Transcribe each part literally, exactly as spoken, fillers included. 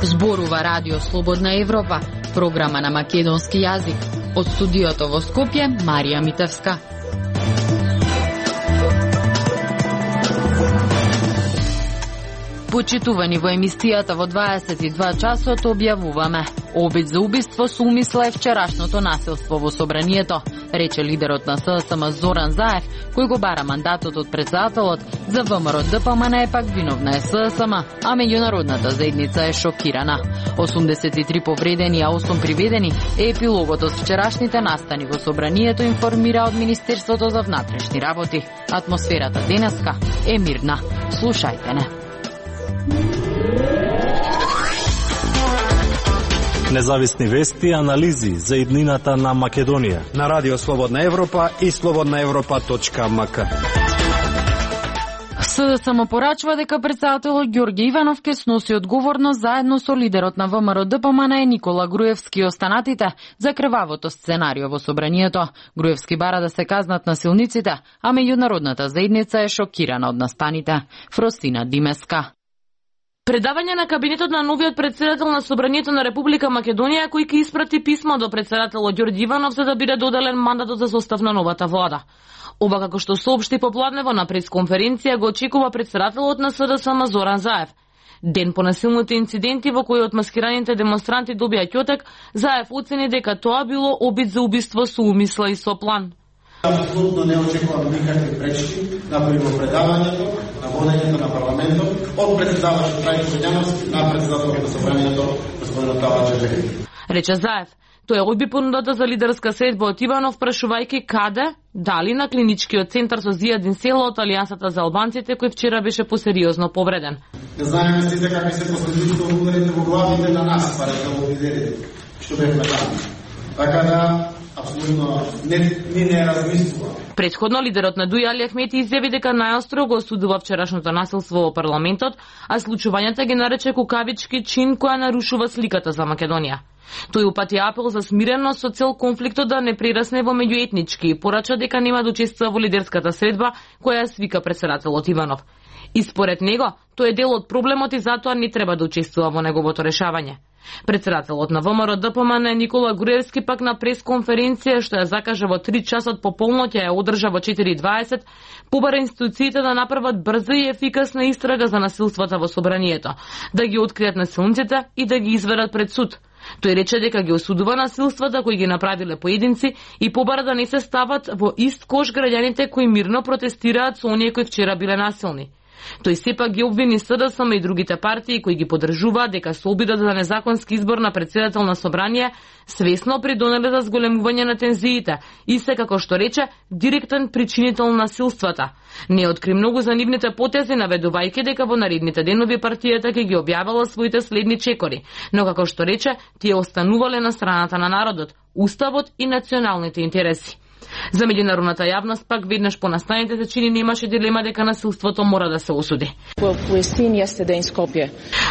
Зборува Радио Слободна Европа, програма на македонски јазик. Од студиото во Скопје, Марија Митевска. Почитувани во емисијата во дваесет и два часот објавуваме: обид за убиство со умисла е вчерашното насилство во собранието, рече лидерот на СДСМ Зоран Заев, кој го бара мандатот од претседателот. За ВМРО ДПМН е пак виновна е СДСМ, а меѓународната заедница е шокирана. осумдесет и три повредени, а осум приведени е епилогот од вчерашните настани во собранието, информира од Министерството за внатрешни работи. Атмосферата денеска е мирна. Слушајте не. Независни вести и анализи за иднината на Македонија на Радио Слободна Европа и слободна европа точка ем ка. СДСМ порачува дека претседателот Ѓорѓе Иванов ќе сноси одговорност заедно со лидерот на ВМРО ДПМН Никола Груевски и останатите за крвавото сценарио во собранието. Груевски бара да се казнат насилниците, а меѓународната заедница е шокирана од настаните. Фростина Димеска. Предавање на кабинетот на новиот претседател на Собранието на Република Македонија, кој ќе испрати писмо до претседателот Ѓорѓе Иванов за да биде доделен мандатот за состав на новата влада. Ова, како што соопшти попладнево на пресконференција, го очекува претседателот на СДСМ Зоран Заев. Ден по насилните инциденти во кои отмаскираните демонстранти добија ќотек, Заев оцени дека тоа било обид за убиство со умисла и со план. Апсолутно не очекувам никакви пречки на предавањето, на водењето на парламентот од претседавачот Трајко Бењановски на претседателот на собранието господин Талач Джевдет. Рече Заев. Тој одби понудата за лидерска средба од Иванов, прашувајќи каде, дали на клиничкиот центар со Зијадин Село од Алијансата за албанците, кој вчера беше посериозно повреден. Не знаеме сите какви се последиците од ударите во главите на нас, парите во виделите, што бевме таму. Така да, апсолутно не, не, не размислува. Претходно, лидерот на Дуј Али Ахмети изјави дека најостро го осудува вчерашното насилство во парламентот, а случувањата ги нарече кукавички чин која нарушува сликата за Македонија. Тој упати апел за смиреност со цел конфликтот да не прерасне во меѓуетнички и порача дека нема да учествува во лидерската средба која свика претседателот Иванов. И според него, тој е дел од проблемот и затоа не треба да учествува во неговото решавање. Претседателот на ВМРО ДПМН Никола Груевски пак на пресконференција што ја закажа во три часот по полноќ ја одржа во четири и дваесет, побара институциите да направат брза и ефикасна истрага за насилствата во собранието, да ги откријат насилниците и да ги изведат пред суд. Тој рече дека ги осудува насилствата кои ги направиле поединци и побара да не се стават во ист кош граѓаните кои мирно протестираат со оние кои вчера биле насилни. Тој сепак ги обвини СДСМ и другите партии кои ги поддржуваат дека со обидот за незаконски избор на претседател на собрание свесно придонеле за зголемување на тензиите и се, како што рече, директен причинител на насилствата. Не откри многу за нивните потези, наведувајќи дека во наредните денови партијата ќе ги објавила своите следни чекори, но како што рече, тие останувале на страната на народот, уставот и националните интереси. За меѓународната јавност пак веднаш по настаните се чини немаше дилема дека насилството мора да се осуди.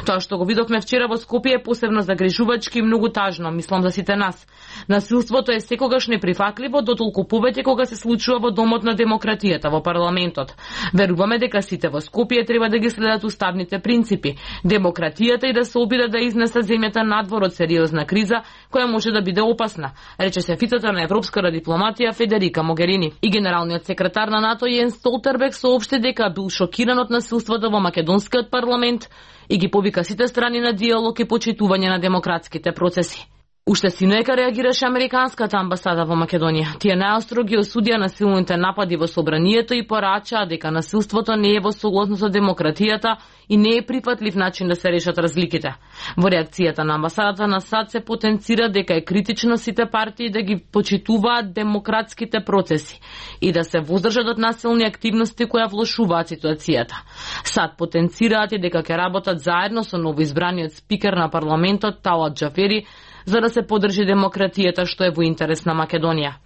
Тоа што го видовме вчера во Скопје е посебно загрижувачки и многу тажно, мислам за сите нас. Насилството е секогаш неприфатливо, дотолку повеќе кога се случува во домот на демократијата, во парламентот. Веруваме дека сите во Скопје треба да ги следат уставните принципи, демократијата и да се обидат да изнесат земјата надвор од сериозна криза која може да биде опасна, рече шефицата на европската дипломатија Федерика Могерини. И генералниот секретар на НАТО Јенс Столтерберг соопшти дека бил шокиран од насилството во македонскиот парламент и ги повика сите страни на диалог и почитување на демократските процеси. Уште синоека реагираше американската амбасада во Македонија. Тие најостро ги осудија насилните напади во собранието и порачаа дека насилството не е во согласност со демократијата и не е прифатлив начин да се решат разликите. Во реакцијата на амбасадата на САД се потенцира дека е критично сите партии да ги почитуваат демократските процеси и да се воздржат од насилни активности кои влошуваат ситуацијата. САД потенцираат и дека ќе работат заедно со новоизбраниот спикер на парламентот Талат Џафери за да се поддржи демократијата што е во интерес на Македонија.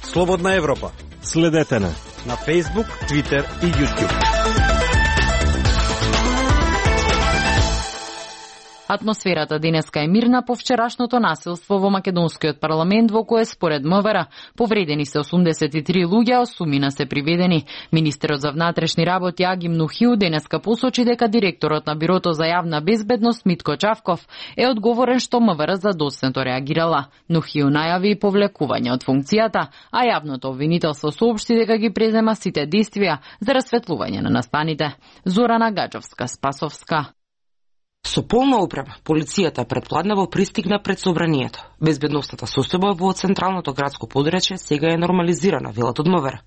Слободна Европа. Следете на на Facebook, Twitter и YouTube. Атмосферата денеска е мирна по вчерашното насилство во македонскиот парламент, во кое според МВР повредени се осумдесет и три луѓе, а осумина се приведени. Министерот за внатрешни работи Аги Мнухиу денеска посочи дека директорот на Бирото за јавна безбедност Митко Чавков е одговорен што МВР задоцнето реагирала. Мнухиу најави и повлекување од функцијата, а јавното обвинителство соопшти дека ги презема сите действија за расветлување на настаните. Зорана Гаджовска, Спасовска. Со полна опрема, полицијата предпладнево пристигна пред собранието. Безбедностната состојба во централното градско подречје сега е нормализирана, велат од МВР.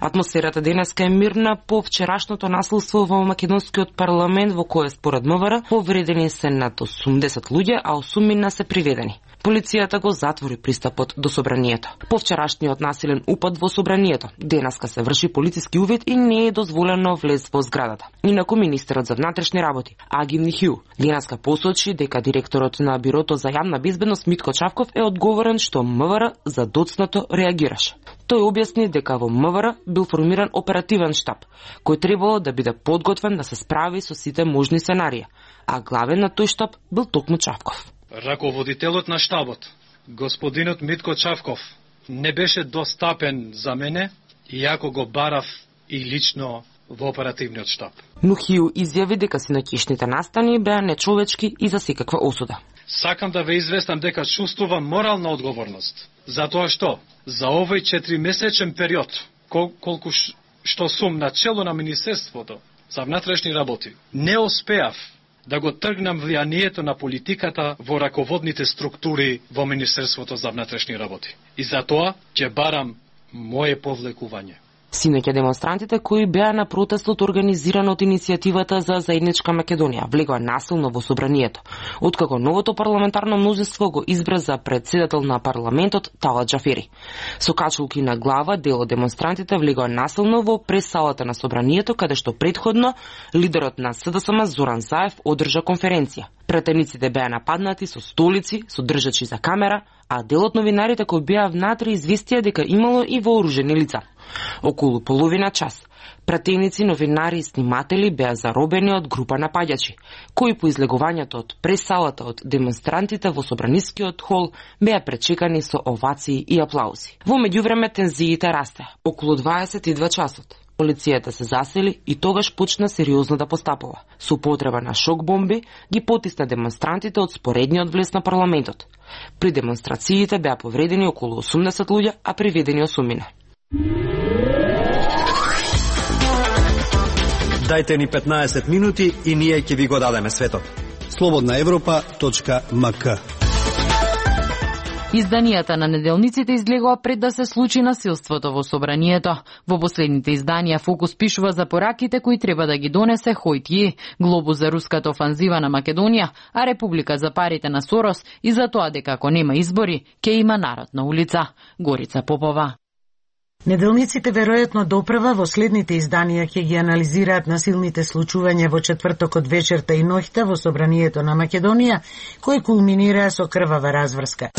Атмосферата денеска е мирна по вчерашното насилство во македонскиот парламент, во кое според МВР повредени се над осумдесет луѓе, а осумина се приведени. Полицијата го затвори пристапот до собранието. По вчерашниот насилен упад во собранието, денеска се врши полициски увид и не е дозволено влез во зградата. Инаку министерот за внатрешни работи Аги Мнухиу денеска посочи дека директорот на Бирото за јавна безбедност Митко Чавков е одговорен што МВР задоцнато реагираше. Тој објасни дека во МВР бил формиран оперативен штаб, кој требало да биде подготвен да се справи со сите можни сценарии, а главен на тој штаб бил токму Чавков. Раководителот на штабот, господинот Митко Чавков, не беше достапен за мене, иако го барав и лично во оперативниот штаб. Мнухиу изјави дека синоќишните настани беа нечовечки и за секаква осуда. Сакам да ве известам дека чувствувам морална одговорност, затоа што за овој четиримесечен период, кол колку што сум на чело на Министерството за внатрешни работи, не успеав да го тргнам влијанието на политиката во раководните структури во Министерството за внатрешни работи. И затоа ќе барам моје повлекување. Синоќа демонстрантите кои беа на протестот организиран од иницијативата за заедничка Македонија влегоа насилно во собранието, откако новото парламентарно мнозинство го избра за председател на парламентот Талат Џафери. Со качулки на глава дел од демонстрантите влегоа насилно во пресалата на собранието, каде што предходно лидерот на СДСМ Зоран Заев одржа конференција. Претениците беа нападнати со столици, со држачи за камера, а дел од новинарите кои беа внатре известија дека имало и вооружени лица. Околу половина час, пратеници, новинари и сниматели беа заробени од група напаѓачи, кои по излегувањето од пресалата од демонстрантите во собранискиот хол беа пречекани со овации и аплаузи. Во меѓувреме тензиите расте. Околу дваесет и два часот полицијата се засели и тогаш почна сериозно да постапува. Со употреба на шок бомби ги потисна демонстрантите од споредниот влез на парламентот. При демонстрациите беа повредени околу осумдесет луѓе, а приведени осумина. Дајте ни петнаесет минути и ние ќе ви го дадеме светот. слободна европа точка ем ка. Изданијата на неделниците излегоа пред да се случи насилството во собранието. Во последните изданија Фокус пишува за пораките кои треба да ги донесе Хојтје, глобус за руската офанзива на Македонија, а Република за парите на Сорос и за тоа дека ако нема избори, ќе има народ на улица. Горица Попова. Неделниците веројатно допрва во следните изданија ќе ги анализираат насилните случувања во четвртокот вечерта и ноќта во собранието на Македонија, кои кулминираа со крвава разврска.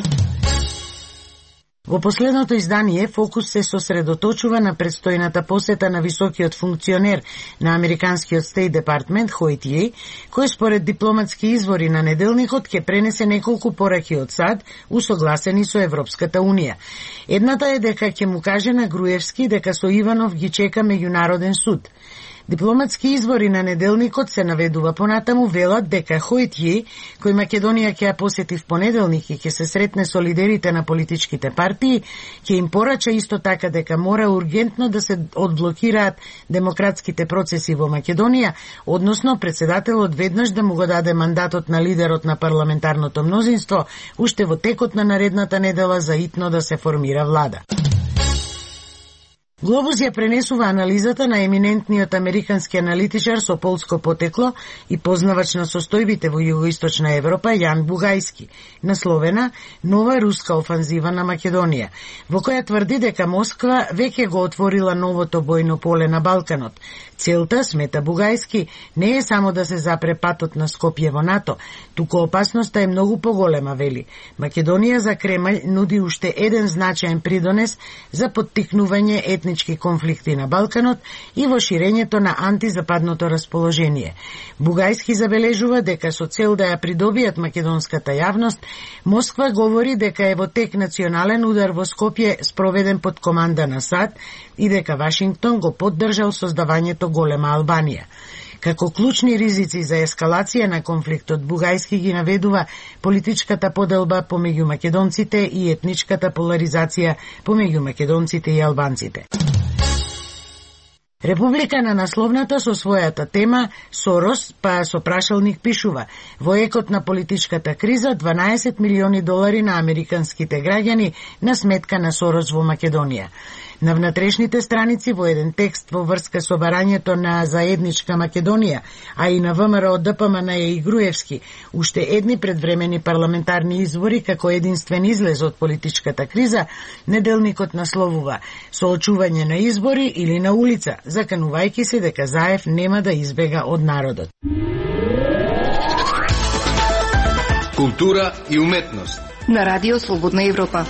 Во последното издание Фокус се сосредоточува на предстојната посета на високиот функционер на американскиот Стейт Департмент Хојтје, кој според дипломатски извори на неделникот ќе пренесе неколку пораки од САД усогласени со Европската Унија. Едната е дека ќе му каже на Груевски дека со Иванов ги чека меѓународен суд. Дипломатски извори на неделникот се наведува понатаму, велат дека Хојтје, кој Македонија ќе ја посети в понеделник и ќе се сретне со лидерите на политичките партии, ќе им порача исто така дека мора ургентно да се одблокираат демократските процеси во Македонија, односно председателот веднаш да му го даде мандатот на лидерот на парламентарното мнозинство, уште во текот на наредната недела за итно да се формира влада. Глобус ја пренесува анализата на еминентниот американски аналитичар со полско потекло и познавач на состојбите во југоисточна Европа Јан Бугајски, насловена «Нова руска офанзива на Македонија», во која тврди дека Москва веќе го отворила новото бојно поле на Балканот. Целта, смета Бугајски, не е само да се запре патот на Скопје во НАТО, туку опасноста е многу поголема, вели. Македонија за Кремљ нуди уште еден значаен придонес за поттикнување етнички етнички конфликти на Балканот и во ширењето на антизападното расположение. Бугајски забележува дека со цел да ја придобијат македонската јавност, Москва говори дека е во тек национален удар во Скопје спроведен под команда на САД и дека Вашингтон го поддржал создавањето голема Албанија. Како клучни ризици за ескалација на конфликтот, Бугајски ги наведува политичката поделба помеѓу македонците и етничката поларизација помеѓу македонците и албанците. Република на насловната со својата тема Сорос, па со прашалник пишува: во екот на политичката криза дванаесет милиони долари на американските граѓани на сметка на Сорос во Македонија. На внатрешните страници во еден текст во врска со барањето на заедничка Македонија, а и на ВМРО ДПМН и Груевски, уште едни предвремени парламентарни избори како единствен излез од политичката криза, неделникот насловува: соочување на избори или на улица, заканувајќи се дека Заев нема да избега од народот. Култура и уметност на Радио Слободна Европа.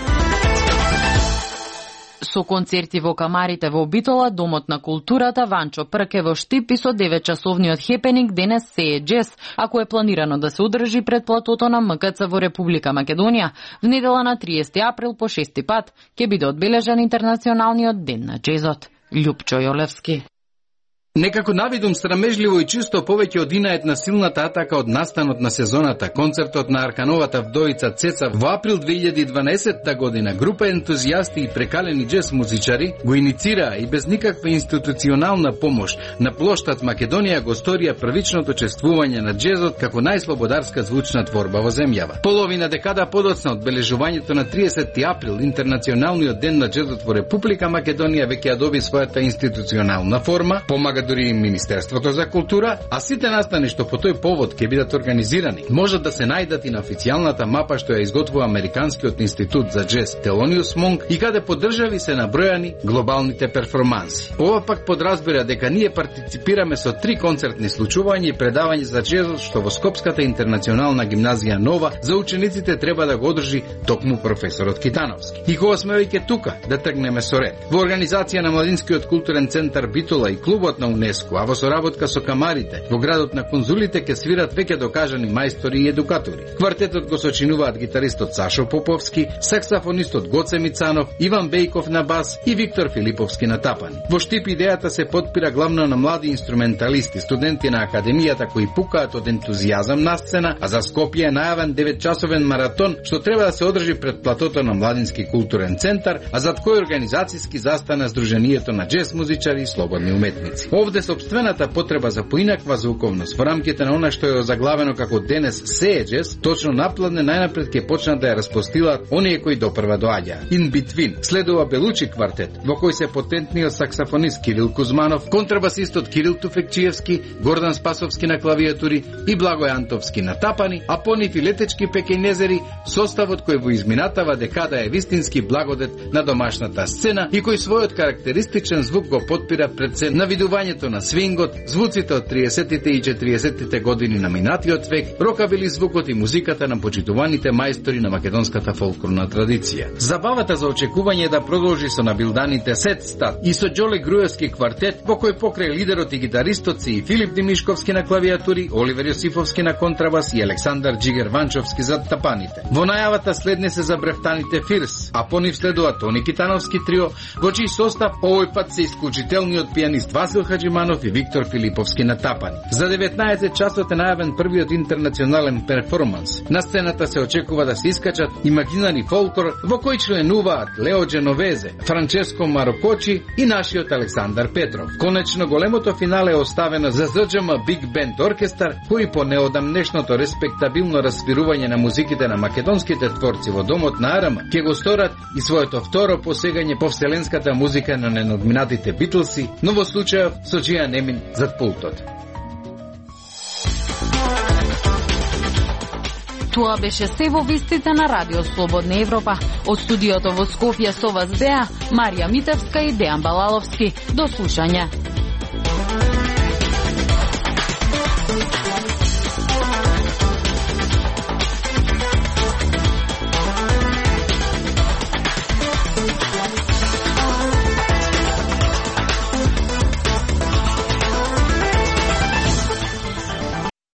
Со концерти во камарите во Битола, Домот на културата Ванчо Прке во Штип и со деветчасовниот хепенинг денес се е джез, ако е планирано да се одржи пред платото на МКЦ во Република Македонија, в недела на триесети април по шести пат ќе биде одбележан интернационалниот ден на джезот. Љупчо Јолевски. Некако навидум срамежливо и чисто повеќе од инаетна силната атака од настанот на сезоната, концертот на Аркановата вдовица Цеца во април две илјади и дванаесетта година, група ентузијасти и прекалени джез музичари го иницираа и без никаква институционална помош на плоштад Македонија го сторија првичното чествување на джезот како најслободарска звучна творба во земјава. Половина декада подоцна од бележувањето на триесети април, интернационалниот ден на джезот во Република Македонија веќе ја доби својата институционална форма, помага дури и Министерството за култура, а сите настани што по тој повод ќе бидат организирани можат да се најдат и на официјалната мапа што ја изготвува Американскиот институт за джез Thelonious Monk и каде по држави се набројани глобалните перформанси. Ова пак подразбира дека ние партиципираме со три концертни случувања и предавање за джезот што во Скопската интернационална гимназија Нова за учениците треба да го одржи токму професорот Китановски. И кога сме веќе тука, да тргнеме со ред. Во организација на Младинскиот културен центар Битола и клубот на УНЕСКО, а во соработка со камарите, во градот на конзулите ќе свират веќе докажани мајстори и едукатори. Квартетот го сочинуваат гитаристот Сашо Поповски, саксафонистот Гоце Мицанов, Иван Бејков на бас и Виктор Филиповски на тапани. Во Штип идејата се потпира главно на млади инструменталисти, студенти на академијата кои пукаат од ентузијазам на сцена, а за Скопје е најавен деветчасовен маратон што треба да се одржи пред платото на Младински културен центар, а зад кој организацијски застана Сдруженијето на джез музичари и слободни уметници. Овде сопствената потреба за поинаква звуковност во рамките на она што е озаглавено како денес се е джез, точно напладне најнапред ќе почнат да ја распостилаат оние кои допрва доаѓаа. In Between следува Белучи квартет, во кој се потентниот саксафонист Кирил Кузманов, контрабасистот Кирил Туфекчиевски, Гордан Спасовски на клавиатури и Благој Антовски на тапани, а по нив и летечки пекењезери, составот кој во изминатава декада е вистински благодет на домашната сцена и кој својот карактеристичен звук го потпира пред се навидувањето на свингот, звуците од триесеттите и четириесеттите години на минатиот век, рокабили звукот и музиката на почитуваните мајстори на македонската фолклорна традиција. Забавата за очекување е да продолжи со набилданите Сет Стат и со Џоле Груевски квартет, во кој покрај лидерот и гитаристот си и Филип Димишковски на клавиатури, Оливер Јосифовски на контрабас и Александар Џигер Ванчовски за тапаните. Во најавата следне се забрефтаните Фирс, а по нив следува Тони Китановски трио, во чиј состав овој пат се исклучителниот пианист Васил Хаджиманов и Виктор Филиповски на тапани. За деветнаесет часот е најавен првиот интернационален перформанс. На сцената се очекува да се искачат имагинарни фолклор во кој членуваат Лео Дженовезе, Франческо Марокочи и нашиот Александар Петров. Конечно големото финале е оставено за ЗДЖМ Биг Бенд Оркестар, кој по неодамнешното респектабилно расвирување на музиките на македонските творци во Домот на Арама ќе го сторат и своето второ посегање по вселенската музика на ненадминатите Битлси, но во случајов со Џијан Емин зад пултот. Тоа беше се во вестите на Радио Слободна Европа. Од студиото во Скопје со вас беа Марија Митевска и Дејан Балаловски. До слушање.